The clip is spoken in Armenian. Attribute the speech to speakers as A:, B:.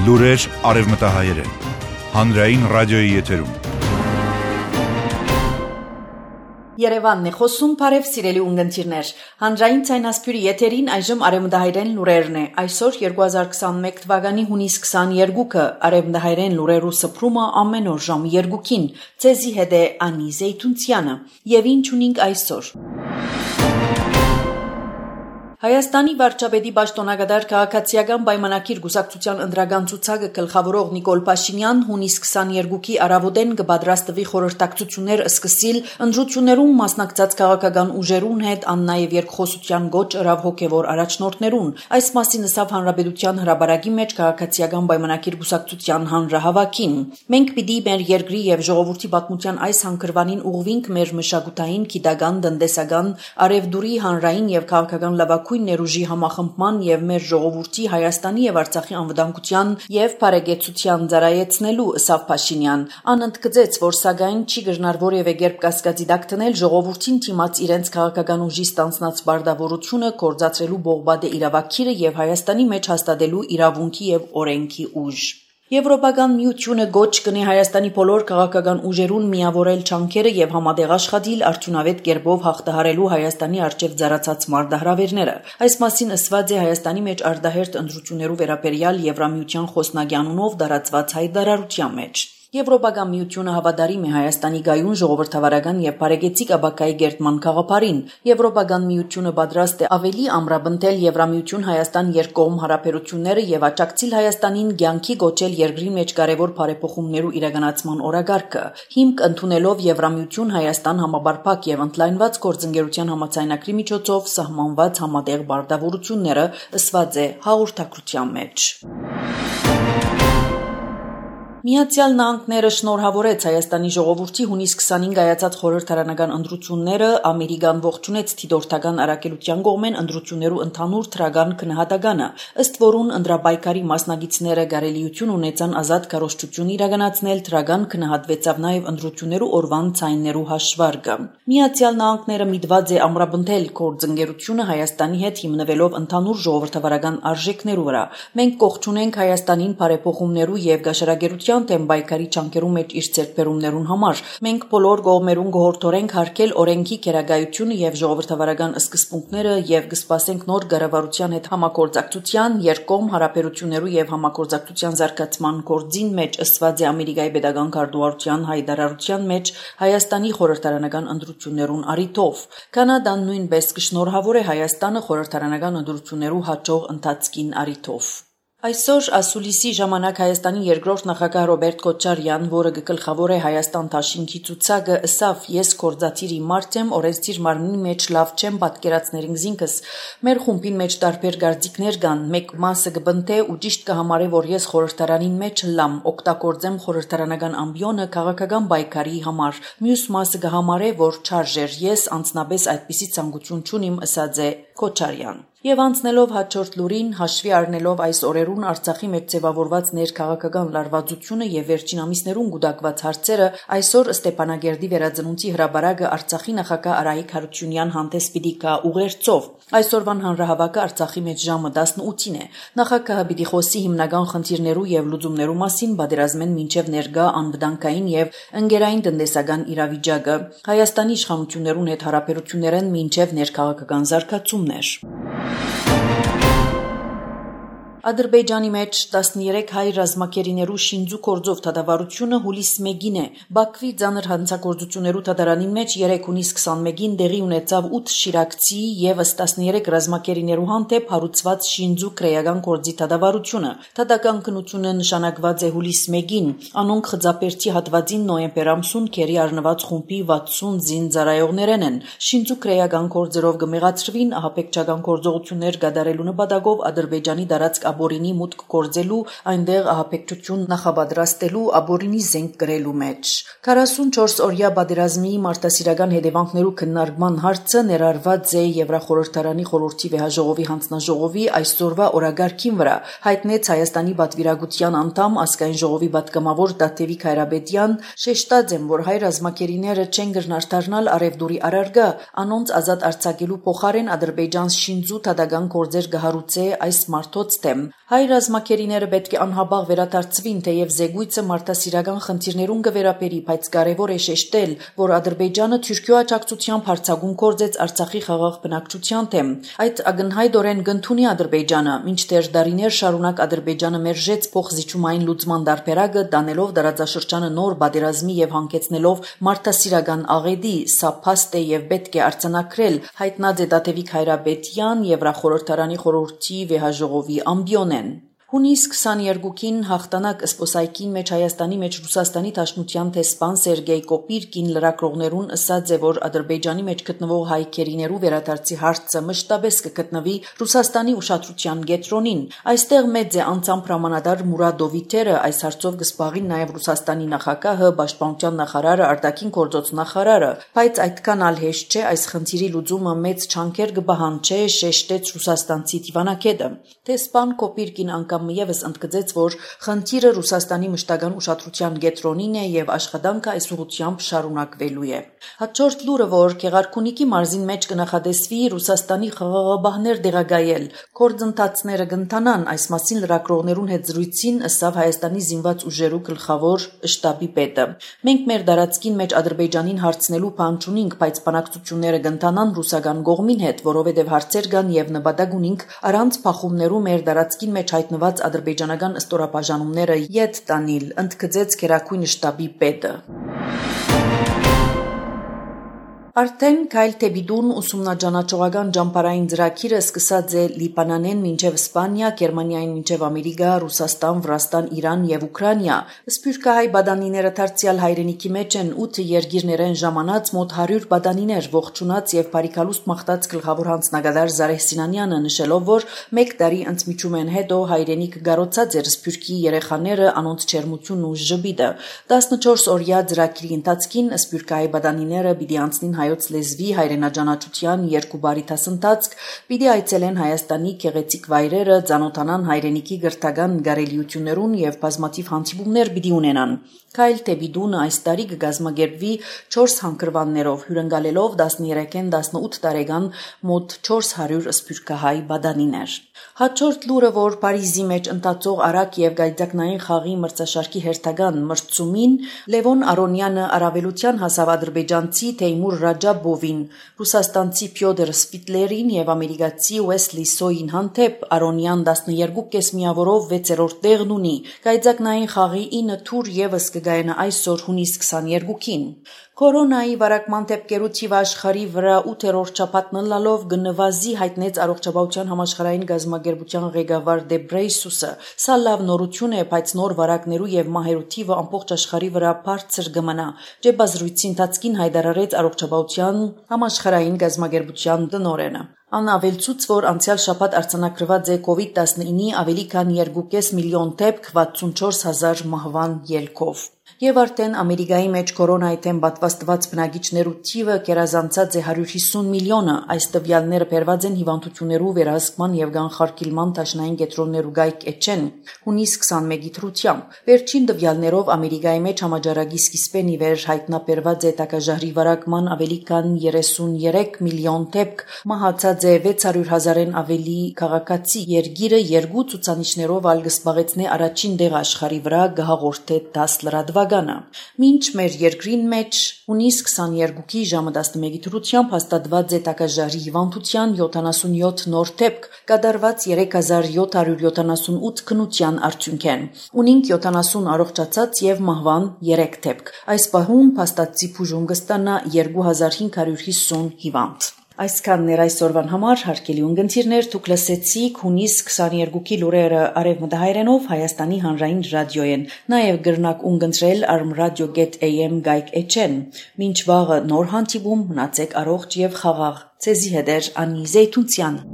A: Լուրեր արևմտահայերեն, հանրային ռադիոյի եթերում։
B: Երևանն է խոսում, բարև սիրելի ունգընտիրներ, հանրային ցայնասպյուրի եթերին այժմ արևմտահայերեն լուրերն է, այսօր 2021 թվականի հունիս 22-ը, արևմտահայերեն լուրերու սփռումը ամեն օր ժամը 2-ին, ցեզի հետ է Անի Զեյթունցյանը, եւ ինչ ունենք այսօր։ Հայաստանի վարչապետի պաշտոնակատար քաղաքացիական պայմանագիր գուսակցության ընդրական ցուցակը գլխավորող Նիկոլ Փաշինյան հունիս 22-ի առավոտեն կպատրաստվի խորհրդակցություններ սկսել ընդրություններում մասնակցած քաղաքական ուժերուն հետ, ան նաև երկխոսության գոչ ըրավ հոգևոր առաջնորդներուն։ Այս մասին ասավ Հանրապետության հրապարակի մեջ քաղաքացիական պայմանագիր գուսակցության հանրահավաքին։ Մենք պիտի մեր երկրի եւ ժողովրդի պատմության այս հանգրվանին ուղղվենք մեր մշակութային, գիտական, տնտեսական, արևդուրի, հանրային եւ քաղաքական լավագույն ներուժի համախմբման եւ մեր ժողովրդի Հայաստանի եւ Արցախի անվտանգության եւ բարեկեցության ծառայեցնելու ասավ Փաշինյան։ Ան ընդգծեց, որ սակայն չի գտնար որևէ կերպ կասկածի տակ դնել ժողովրդին դիմաց իրենց քաղաքական ուժի ստանձնած բարդավորությունը կորցածրելու բողբադե իրավակիրը եւ Հայաստանի մեջ հաստատելու իրավունքի եւ օրենքի ուժ։ Եվրոպական միությունը գոչ կնի Հայաստանի բոլոր քաղաքական ուժերուն միավորել չանքերը եւ համատեղ աշխատել արդյունավետ կերպով հաղթահարելու Հայաստանի արչեւ ծառացած մարտահրավերները։ Այս մասին ասված է Հայաստանի մեջ արտահերտ ընդրություններու վերաբերյալ Եվրամիության խոսնակի անունով դարածված հայտարարության մեջ։ Եվրոպական միությունը հավատարիմ է Հայաստանի գայուն ժողովրդավարական եւ բարեկեցիկ աբակայի գերտման գաղափարին։ Եվրոպական միությունը պատրաստ է ավելի ամրապնդել Եվրամիություն Հայաստան երկկողմ հարաբերությունները եւ աջակցել Հայաստանին ցանկի գոչել երկրի մեջ կարևոր բարեփոխումներու իրականացման օրակարգը։ Հիմք ընդունելով Եվրամիություն Հայաստան համապարփակ եւ ընդլայնված գործընկերության համաձայնագրի միջոցով սահմանված համատեղ բարդավորությունները ըսված է հաղորդակցության մեջ։ Միացյալ Նահանգները շնորհավորեց Հայաստանի ժողովրդի հունիս 25 հայացած խորհրդարանական ընտրությունները, Ամերիկան ողջունեց դիտորդական առաքելության կողմեն ընտրություններու ընդհանուր թրական քննադատականը, ըստ որուն ընտրապայքարի մասնակիցները կարելիություն ունեցան ազատ քարոզչություն իրականացնել, թրական քննադատվեցավ նաև ընտրություններու օրվան ցայներու հաշվարկը։ Միացյալ Նահանգները միտված է ամրապնդել գործընկերությունը Հայաստանի հետ հիմնվելով ընդհանուր ժողովրդավարական արժեքներու վրա։ Մենք կողջունենք Հայաստանին բարեփոխումներու եւ գաշարագերության դեմ բայկարի չանկերու մեջ իր ցերբերումներուն համար։ Մենք բոլոր կողմերուն գողորթորենք հարկել օրենքի քերագայությունը եւ ժողովրդավարական սկզբունքները եւ կսպասենք նոր կառավարության հետ համագործակցության, երկկողմ հարաբերություններու եւ համագործակցության զարգացման գործին մեջ ըսված է Ամերիկայի պետական քարտուղարության հայտարարության մեջ Հայաստանի խորհրդարանական ընտրություններուն առիթով։ Կանադան նույնպես կշնորհավոր է Հայաստանը խորհրդարանական ընտրություններու հաջող ընթացքին առիթով։ Այսօր ասուլիսի ժամանակ Հայաստանի երկրորդ նախագահ Ռոբերտ Քոչարյան, որը գլխավոր է Հայաստան դաշինքի ցուցակը, ասավ. «Ես կորզատիրի մարդ եմ, օրենսդիր մարմնի մեջ լավ չեմ պատկերացնել ինքս։ Մեր խումբին մեջ տարբեր գարձիկներ կան, մեկ մասը կբնթե ու ճիշտ կհամարե, որ ես խորհրդարանին մեջ լամ, օգտագործեմ խորհրդարանական ամբիոնը քաղաքական պայքարի համար։ Մյուս մասը կհամարե, որ չարժեր, ես անձնապես այդպիսի ցանկություն չունիմ», ասաց է Քոչարյան։ Եվ անցնելով հաջորդ լուրին, հաշվի առնելով այս օրերուն Արցախի մեջ ձևավորված ներքաղաքական լարվածությունը եւ վերջին ամիսներուն գուտակված հարցերը, այսօր Ստեփանագերդի վերածնունդի հրապարակը Արցախի նախագահ Արայիկ Հարությունյան հանդես պիտի գա ուղերձով։ Այսօրվան հանրահավաքը Արցախի մեջ ժամը 18-ին է։ Նախագահը պիտի խոսի հիմնական խնդիրներու եւ լուծումներու մասին, պատերազմեն մինչեւ ներկա անվտանգային եւ ընկերային տնտեսական իրավիճակը, Հայաստանի իշխանություններուն հետ հարաբերություններն մինչեւ ներքաղաքական զարգացումներ։ Ադրբեջանի մեջ 13 հայ ռազմակերիներու շինձու կորձով դատավարությունը հուլիս 1-ին է։ Բաքվի ծանր հանցագործություններու դատարանի մեջ 3 հունիս 21-ին տեղի ունեցավ 8 շիրակցի եւս 13 ռազմակերիներու հանդեպ հարուցված շինձու քրեական կորձի դատավարությունը։ Դատական քննությունը նշանակված է հուլիս 1-ին։ Անոնք խծապերտի հատվածին նոյեմբեր ամսուն քերի առնված խումբի 60 զինծառայողներն են։ Շինձու քրեական կորձերով կմեղացրվին ահաբեկչական գործողություններ կատարելու նպատակով Ադրբեջանի դարածք աբորինի մուտք կորձելու, այնտեղ ահաբեկչություն նախապատրաստելու, աբորինի զենք գրելու մեջ։ 44 օրյա պատերազմի մարտահրավերական հետևանքներու քննարկման հարցը ներառված է Եվրախորհրդարանի խորհրդի վեհաժողովի հանձնաժողովի այսօրվա օրագարկին վրա, հայտնեց Հայաստանի պատվիրակության անդամ ազգային ժողովի պատգամավոր Տաթևիկ Հայրաբեդյան, շեշտած եմ, որ հայ ռազմակերիները չեն գնար դառնալ արևդուրի առարգա, անոնց ազատ արձակելու փոխարեն Ադրբեջան շինձու թադական գործեր գահարուցե այս մարտոց դեմ։ Հայ ռազմակերիները պետք է անհաբաղ վերադարձվին, թեև զեկույցը մարդասիրական խնդիրներուն կվերապերի, բայց կարևոր է շեշտել, որ Ադրբեջանը Թուրքիո աջակցությամբ հարձակում կործեց Արցախի խաղաղ բնակչության դեմ։ Այդ ակնհայտորեն կընդունի Ադրբեջանը, մինչդեռ դարիներ շարունակ Ադրբեջանը մերժեց փոխզիջումային լուծման դարբերակը, դանելով տարածաշրջանը նոր պատերազմի եւ հանգեցնելով մարդասիրական աղետի, սա փաստ է եւ պետք է արձանագրել, հայտնած է Դաթևիկ Հայրապետյան Եվրախորհրդարանի խորհրդի վեհաժողովի ամբիոնեն։ Հունիս 22-ին հաղթանակ սպոսայքին մեջ Հայաստանի մեջ Ռուսաստանի Դաշնության տեսփան Սերգեյ Կոպիրկին լրագրողներուն ըսած է, որ Ադրբեջանի մեջ գտնվող հայ քերիներու վերադարձի հարցը մշտապես կգտնվի Ռուսաստանի ուշադրության կենտրոնին։ Այստեղ մեծ է անձամբ հրամանատար Մուրադ Դովիթերը, այս հարցով կզբաղին նաև Ռուսաստանի նախագահը, պաշտպանության նախարարը, արտաքին գործոց նախարարը, բայց այդքան ալ հեշտ չէ այս խնդիրի լուծումը մեծ չանքեր կբահանջի, շեշտեց ռուսաստանցի դիվանագետը։ Տեսփան Կոպիրկին անգամ Եվս ընդգծեց, որ խնդիրը Ռուսաստանի մշտական ուշադրության կենտրոնին է եւ աշխատանքը այս ուղղությամբ շարունակվելու է։ Հաջորդ լուրը, որ Գեղարքունիքի մարզին մեջ կնախադեсվի Ռուսաստանի խաղաղաբահներ դեղագայել, կորձընթացները կընթանան, այս մասին լրագրողներուն հետ զրույցին ըսավ Հայաստանի զինված ուժերու գլխավոր շտաբի պետը։ Մենք մեր դարածքին մեջ Ադրբեջանին հարցնելու բան չունենք, բայց բանակցությունները կընթանան ռուսական կողմին հետ, որովհետեւ հարցեր կան եւ նպատակ ունենք առանց փախումներու մեր դարածքին մեջ հայտնված ադրբեջանական ստորաբաժանումները ետ տանիլ, ընդգծեց Գերագույն շտաբի պետը։ Արդեն Քայլ Թեբիդուն ուսումնաճանաչողական ճամփարային ծրագիրը սկսած է Լիբանանեն մինչև Իսպանիա, Գերմանիային մինչև Ամերիկա, Ռուսաստան, Վրաստան, Իրան եւ Ուկրաինա։ Սփյուռքահայ բադանիները դարձյալ հայրենիքի մեջ են 8 երկիրներեն ժամանած մոտ 100 բադանիներ ողջունած եւ բարիկալուստ մաղթած գլխավոր հանձնագետար Զարեհ Սինանյանը նշելով, որ 1 տարի ընդմիջումեն հետո հայրենիք գարոցած էր Սփյուռքի երեխաները անոնց չերմությունն ու ժպիտը։ 14 օրյա ծրագիրի ընթացքին սփյուռքահայ բադանիները պիտի անցնին հայոց լեզվի հայրենաճանաչության 2 բարի դասընթացք, պիտի այցելեն Հայաստանի գեղեցիկ վայրերը, ծանոթանան հայրենիքի գրթական գարելիություններուն եւ բազմաթիվ հանդիպումներ պիտի ունենան։ Քայլ Թեբիդունը այս տարի կգազմագերբվի 4 հանգրվաններով, հյուրընկալելով 13-ին 18 տարեկան մոտ 400 սփյուռքահայ բադանիներ։ Հաջորդ լուրը, որ Փարիզի մեջ ընթացող արագ եւ գայթակնային խաղի մրցաշարքի հերթական մրցումին Լևոն Արոնյանը առավելության հասավ ադրբեջանցի Թեյմուր Ռաջաբովին, ռուսաստանցի Փյոդոր Սպիտլերին եւ ամերիկացի Ուեսլի Սոյին հանդեպ Արոնյան 12 միավորով 6-րդ տեղն ունի։ Գայթակնային խաղի 9 թուր եւս կգայնա այսօր հունիս 22-ին։ Կորոնայի վարակման դեպքերու թիվը աշխարհի վրա 8-րդ շաբաթն լալով գնվազի հայտնեց առողջապահության համաշխարհային գազագերբության ղեկավար Դեբրեյսուսը։ Սա լավ նորություն է, բայց նոր վարակներու եւ մահերու թիվը ամբողջ աշխարհի վրա բարձր կմնա։ Ջեբազրույցի ընթացքին հայտարարեց առողջապահության համաշխարհային գազագերբության տնօրենը։ Անավելցուց, որ անցյալ շաբաթ արձանագրված է COVID-19-ի ավելի քան 2.5 միլիոն դեպք 64,000 մահվան ելքով։ Եվ արդեն Ամերիկայի մեջ կորոնայի դեմ պատվաստված բնակիչներու թիվը կերազանցած է 150 միլիոնը։ Այս տվյալները բերված են հիվանդություններու վերահսկման եւ կանխարգելման դաշնային կենտրոններու գայք էջեն հունիս 21-ի թրությամբ։ Վերջին տվյալներով Ամերիկայի մեջ համաճարակի սկիզբեն ի վեր հայտնաբերված է տակաժահրի վարակման ավելի քան 33 միլիոն դեպք, մահացած է 600,000-ն ավելի քաղաքացի։ Երկիրը 2 ցուցանիշներով ալ կզբաղեցնի առաջին տեղը աշխարհի վրա գահաղորդե 10 լրատվականը։ Մինչ մեր երկրին մեջ հունիս 22-ի ժամը 11-ի դրությամբ հաստատված է տակաժահրի հիվանդության 77 նոր դեպք, կատարված 3778 քննության արդյունքեն։ Ունենք 70 առողջացած եւ մահվան 3 դեպք։ Այս պահում փաստացի բուժում կստանա 2550 հիվանդ։ Այսքանն էր այսօրվան համար, հարգելի ունգընտիրներ, դուք լսեցիք հունիս 22-ի լուրերը արևմտահայերենով Հայաստանի հանրային ռադիոյեն, նաև գրնակ ունգընտրել armradio.am գայք էջեն։ Մինչ վաղը նոր հանդիպում, մնացեք առողջ եւ խաղաղ։ Ցեզի հետ էր Անի Զեյթունցյան։